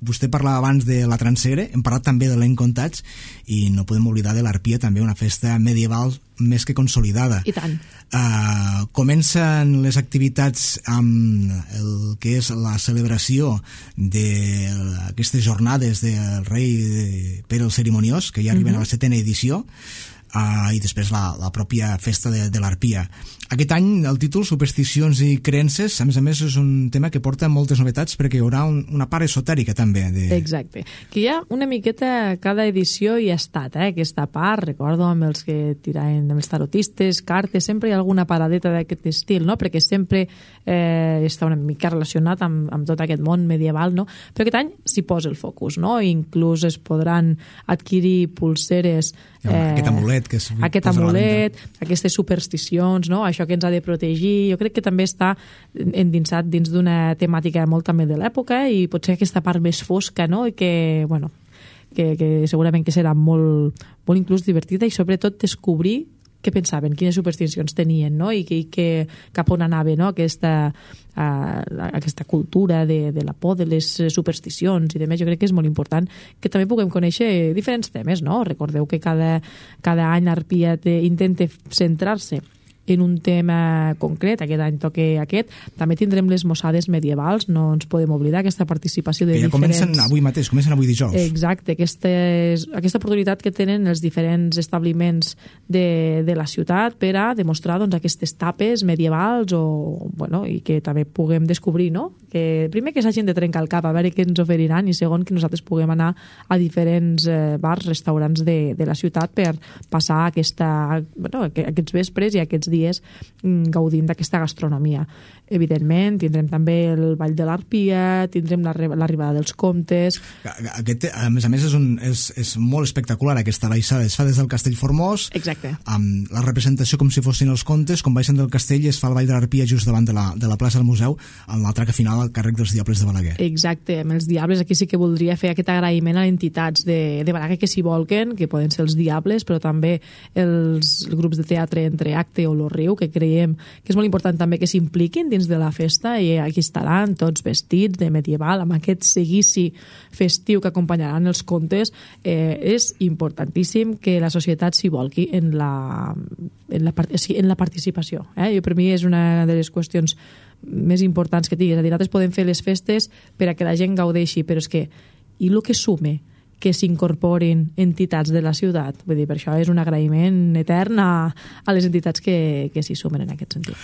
Vostè parlava abans de la Transegre, hem parlat també de l'Encontats i no podem oblidar de l'Arpia, també una festa medieval més que consolidada. I tant. Uh, comencen les activitats amb el que és la celebració d'aquestes jornades del rei de Pere el Cerimoniós, que ja arriben mm-hmm. a la setena edició, uh, i després la, la pròpia festa de, de l'Arpia. Aquest any el títol Supersticions i creences, a més a més és un tema que porta moltes novetats perquè hi haurà un, una part esotèrica també. De... Exacte, que hi ha una miqueta cada edició hi ha estat, eh? Aquesta part, recordo amb els que tiraven, amb els tarotistes, cartes, sempre hi ha alguna paradeta d'aquest estil, no? Perquè sempre eh, està una mica relacionat amb, amb tot aquest món medieval, no? Però aquest any s'hi posa el focus, no? Inclús es podran adquirir pulseres eh, aquest amulet que es aquest amulet, aquestes supersticions, no? Això que ens ha de protegir, jo crec que també està endinsat dins d'una temàtica molt també de l'època i potser aquesta part més fosca, no? I que, bueno, que, que segurament que serà molt, molt inclús divertida i sobretot descobrir què pensaven, quines supersticions tenien, no? I, que, i que cap on anava, no? Aquesta, uh, aquesta cultura de, de la por, de les supersticions i demés. Jo crec que és molt important que també puguem conèixer diferents temes, no? Recordeu que cada, cada any l'Arpia intenta centrar-se en un tema concret, aquest any toca aquest. També tindrem les mossades medievals, no ens podem oblidar aquesta participació de que ja diferents... comencen avui mateix, comencen avui dijous. Exacte, aquesta, és, aquesta oportunitat que tenen els diferents establiments de, de la ciutat per a demostrar doncs, aquestes tapes medievals o, bueno, i que també puguem descobrir, no? Que primer que s'hagin de trencar el cap a veure què ens oferiran i segon que nosaltres puguem anar a diferents eh, bars, restaurants de, de la ciutat per passar aquesta, bueno, aquests vespres i aquests dies gaudint d'aquesta gastronomia. Evidentment, tindrem també el Ball de l'Arpia, tindrem l'arribada dels comtes... Aquest, a més a més, és, un, és, és molt espectacular aquesta baixada. Es fa des del Castell Formós, exacte, amb la representació com si fossin els comtes, com baixen del castell i es fa el Ball de l'Arpia just davant de la, de la plaça del museu, amb l'altraca final al càrrec dels Diables de Balaguer. Exacte, amb els Diables aquí sí que voldria fer aquest agraïment a entitats de, de Balaguer que s'hi volquen, que poden ser els Diables, però també els grups de teatre Entre Acte o Lo Riu, que creiem que és molt important també que s'impliquin dins de la festa i aquí estaran tots vestits de medieval amb aquest seguici festiu que acompanyaran els contes. Eh, és importantíssim que la societat s'hi volqui en la, en la, en la participació. Eh? Jo, per mi és una de les qüestions més importants que tinguis. És a dir, nosaltres podem fer les festes per a que la gent gaudeixi, però és que i el que sume que s'incorporin entitats de la ciutat. Vull dir, per això és un agraïment etern a, a les entitats que, que s'hi sumen en aquest sentit.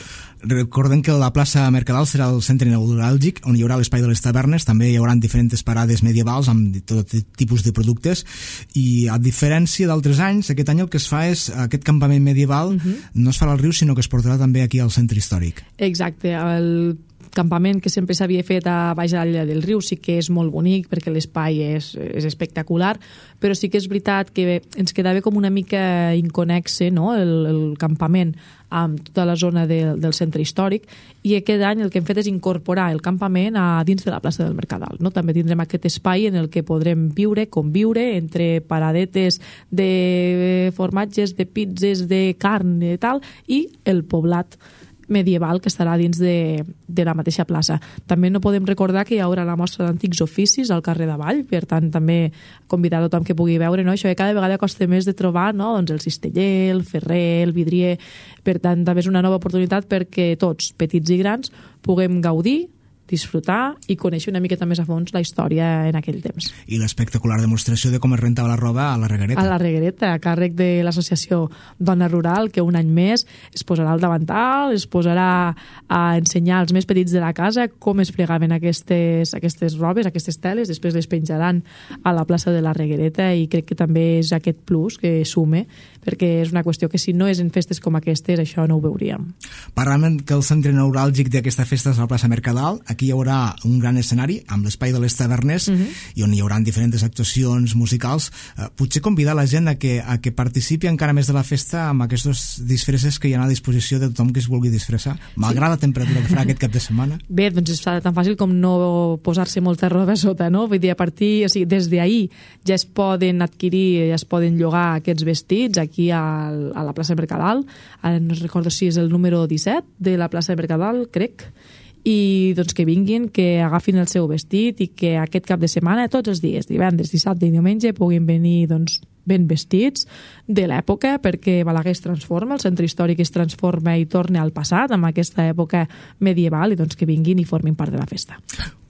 Recordem que la plaça Mercadal serà el centre neuràlgic on hi haurà l'espai de les tavernes, també hi haurà diferents parades medievals amb tot tipus de productes i a diferència d'altres anys, aquest any el que es fa és aquest campament medieval uh-huh. no es farà al riu sinó que es portarà també aquí al centre històric. Exacte, el campament que sempre s'havia fet a baix de la del riu sí que és molt bonic perquè l'espai és, és espectacular, però sí que és veritat que ens quedava com una mica inconnexe, no? el, el campament amb tota la zona de, del centre històric i aquest any el que hem fet és incorporar el campament a dins de la plaça del Mercadal. No? També tindrem aquest espai en el que podrem viure, conviure entre paradetes de formatges, de pizzas, de carn i tal, i el poblat medieval que estarà dins de, de la mateixa plaça. També no podem recordar que hi haurà la mostra d'antics oficis al carrer d'Avall, per tant també convidar a tothom que pugui veure, no? Això que cada vegada costa més de trobar, no? Doncs el cisteller, el ferrer, el vidrier, per tant també és una nova oportunitat perquè tots, petits i grans, puguem gaudir disfrutar i conèixer una miqueta més a fons la història en aquell temps. I l'espectacular demostració de com es rentava la roba a la Reguereta. A la Reguereta, a càrrec de l'associació Dona Rural, que un any més es posarà al davantal, es posarà a ensenyar als més petits de la casa com es fregaven aquestes, aquestes robes, aquestes teles, després les penjaran a la plaça de la Reguereta, i crec que també és aquest plus que sume, perquè és una qüestió que si no és en festes com aquestes, això no ho veuríem. Parlàvem que el centre neuràlgic d'aquesta festa és la plaça Mercadal. Aquí hi haurà un gran escenari amb l'espai de les tavernes, uh -huh. i on hi haurà diferents actuacions musicals. Uh, potser convidar la gent a que, a que participi encara més de la festa amb aquests disfresses que hi ha a disposició de tothom que es vulgui disfressar, malgrat sí. la temperatura que farà aquest cap de setmana. Bé, doncs és tan fàcil com no posar-se molta roba a sota, no? Vull dir, a partir, o sigui, des d'ahir ja es poden adquirir, ja es poden llogar aquests vestits aquí a, a la plaça Mercadal. Ara no recordo si és el número disset de la plaça Mercadal, crec, i doncs que vinguin, que agafin el seu vestit i que aquest cap de setmana, tots els dies, divendres, dissabte i diumenge, puguin venir doncs, ben vestits de l'època, perquè Balaguer es transforma, el centre històric es transforma i torna al passat, amb aquesta època medieval, i doncs que vinguin i formin part de la festa.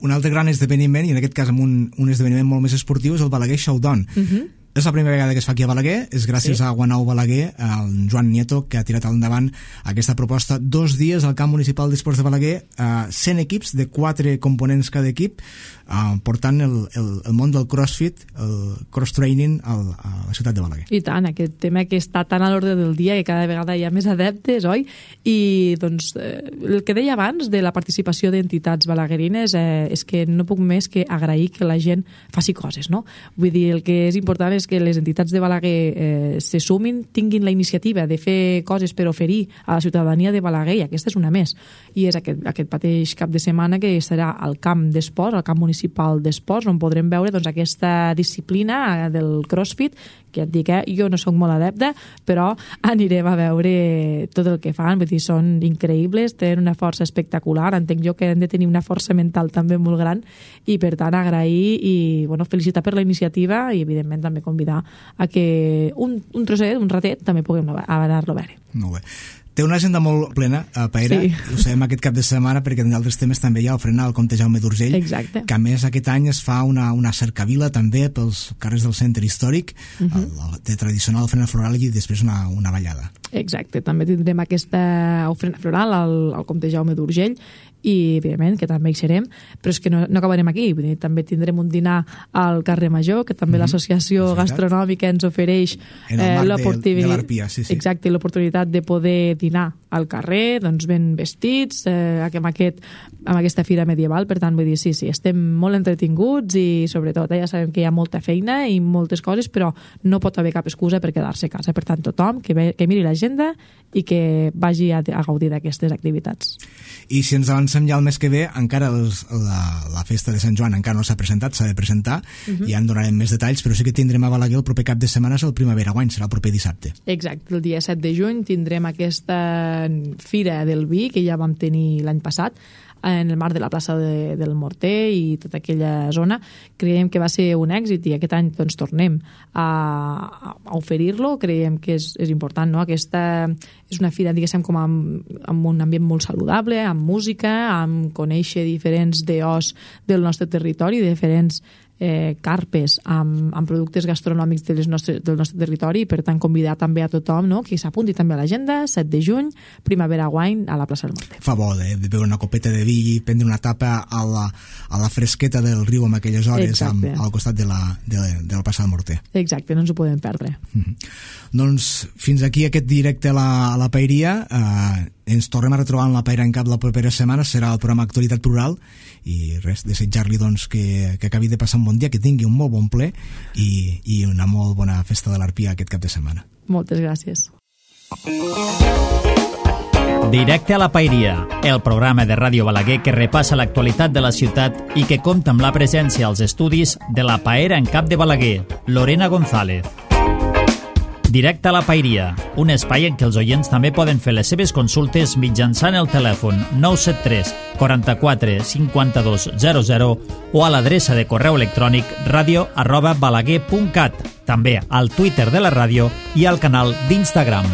Un altre gran esdeveniment, i en aquest cas amb un, un esdeveniment molt més esportiu, és el Balaguer Showdown. Uh -huh. És la primera vegada que es fa aquí a Balaguer, és gràcies sí. a Guanau Balaguer, el Joan Nieto, que ha tirat endavant aquesta proposta. Dos dies al camp municipal d'esports de Balaguer, eh, cent equips de quatre components cada equip, eh, portant el, el, el món del crossfit, el cross-training al, a la ciutat de Balaguer. I tant, aquest tema que està tan a l'ordre del dia, que cada vegada hi ha més adeptes, oi? I doncs eh, el que deia abans de la participació d'entitats balaguerines eh, és que no puc més que agrair que la gent faci coses, no? Vull dir, el que és important és que les entitats de Balaguer eh, se sumin, tinguin la iniciativa de fer coses per oferir a la ciutadania de Balaguer, i aquesta és una més. I és aquest, aquest mateix cap de setmana que serà al camp d'esports, al camp municipal d'esports, on podrem veure doncs, aquesta disciplina del crossfit, que ja et dic, eh, jo no sóc molt adepta, però anirem a veure tot el que fan. Vull dir, són increïbles, tenen una força espectacular, entenc jo que han de tenir una força mental també molt gran, i per tant agrair i bueno, felicitar per la iniciativa, i evidentment també convidar a que un, un trosset, un ratet, també puguem anar-lo a veure. Molt bé. Té una agenda molt plena, a Paera, sí. Ho sabem aquest cap de setmana, perquè en altres temes també hi ha el frenar al Comte Jaume d'Urgell. Exacte. Que a més aquest any es fa una, una cercavila també pels carrers del centre històric, uh -huh. el, el, de tradicional ofrena floral, i després una, una ballada. Exacte, també tindrem aquesta ofrena floral al, al Comte Jaume d'Urgell, i evidentment que també hi serem, però és que no, no acabarem aquí. Vull dir, també tindrem un dinar al carrer Major, que també mm -hmm. l'associació gastronòmica ens ofereix eh, l'oportunitat de, de sí, sí. Exacte, l'oportunitat de poder dinar al carrer, doncs ben vestits, eh, amb, aquest, amb aquesta fira medieval. Per tant, vull dir, sí, sí, estem molt entretinguts, i sobretot eh, ja sabem que hi ha molta feina i moltes coses, però no pot haver cap excusa per quedar-se a casa. Per tant, tothom que, ve, que miri l'agenda i que vagi a, a gaudir d'aquestes activitats. I si ens avancem ja el mes que ve, encara els, la, la festa de Sant Joan encara no s'ha presentat, s'ha de presentar, uh-huh. ja en donarem més detalls, però sí que tindrem a Balaguer el proper cap de setmana, és el Primavera Wine, serà el proper dissabte. Exacte, el dia set de juny tindrem aquesta fira del vi que ja vam tenir l'any passat, en el marc de la plaça de, del Morter i tota aquella zona. Creiem que va ser un èxit, i aquest any doncs, tornem a, a oferir-lo. Creiem que és, és important, no? Aquesta és una fira, diguéssim, com amb, amb un ambient molt saludable, amb música, amb conèixer diferents deós del nostre territori, diferents eh, carpes amb, amb productes gastronòmics de les nostres, del nostre territori, i per tant convidar també a tothom, no?, que s'apunti també a l'agenda, set de juny, Primavera Wine a la plaça del Morter. Fa bo de, de beure una copeta de vi i prendre una tapa a la, a la fresqueta del riu en aquelles hores, amb, al costat de la, de, de la plaça del Morter. Exacte, no ens ho podem perdre. Mm-hmm. Doncs fins aquí aquest directe a la, a la Paeria. Eh, ens tornem a retrobar en la Paera en Cap la propera setmana, serà el programa Actualitat Plural, i res, desitjar-li doncs que, que acabi de passar un bon dia, que tingui un molt bon ple i, i una molt bona festa de l'Arpia aquest cap de setmana. Moltes gràcies. Directe a la Paeria, el programa de Ràdio Balaguer que repassa l'actualitat de la ciutat i que compta amb la presència als estudis de la Paera en Cap de Balaguer, Lorena González. Directe a la Paeria, un espai en què els oients també poden fer les seves consultes mitjançant el telèfon nou set tres, quaranta-quatre, cinquanta-dos, zero zero o a l'adreça de correu electrònic radio arroba balaguer punt cat, també al Twitter de la ràdio i al canal d'Instagram.